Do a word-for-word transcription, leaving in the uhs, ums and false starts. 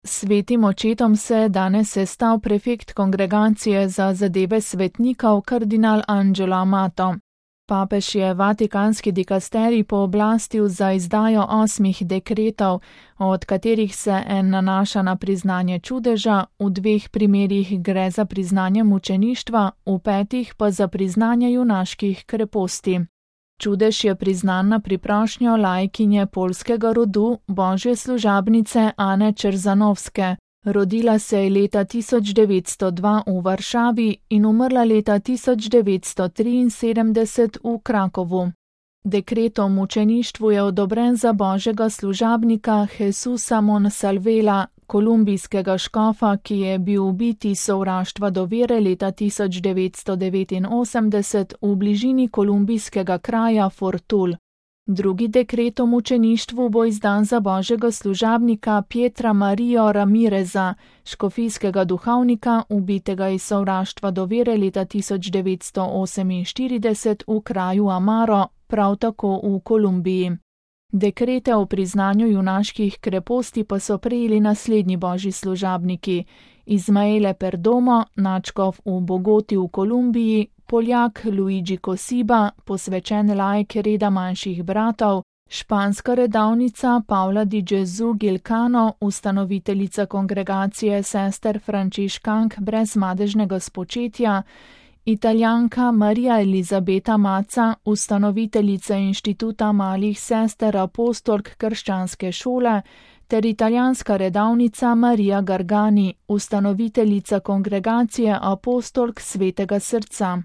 Svetim očetom se je danes sestal prefekt Kongregacije za zadeve svetnikov kardinal Angelo Amato. Papež je vatikanski dikasterij pooblastil za izdajo osmih dekretov, od katerih se en nanaša na priznanje čudeža, v dveh primerih gre za priznanje mučeništva, v petih pa za priznanje junaških kreposti. Čudež je priznan na priprošnjo laikinje poljskega rodu, božje služabnice Ane Čerzanovske. Rodila se je leta tisoč devetsto dva v Varšavi in umrla leta tisoč devetsto triinsedemdeset v Krakovu. Dekret o mučeništvu je odobren za božjega služabnika Jesusa Monsalvela, kolumbijskega škofa, ki je bil ubit iz sovraštva do vere leta tisoč devetsto devetinosemdeset v bližini kolumbijskega kraja Fortul. Drugi dekret o mučeništvu bo izdan za božjega služabnika Pietra Marijo Ramireza, škofijskega duhovnika, ubitega iz sovraštva do vere leta tisoč devetsto oseminštirideset v kraju Amaro, prav tako v Kolumbiji. Dekrete o priznanju junaških kreposti pa so prejeli naslednji božji služabniki: Izmaele Perdomo, nadškof v Bogoti v Kolumbiji, Poljak Luigi Kosiba, posvečen laik reda manjših bratov, španska redavnica Paula di Gesù Gilcano, ustanoviteljica kongregacije sester Frančiškank brez madežnega spočetja, Italijanka Marija Elizabeta Maca, ustanoviteljica inštituta malih sester apostolk krščanske šole, ter italijanska redavnica Marija Gargani, ustanoviteljica kongregacije apostolk svetega srca.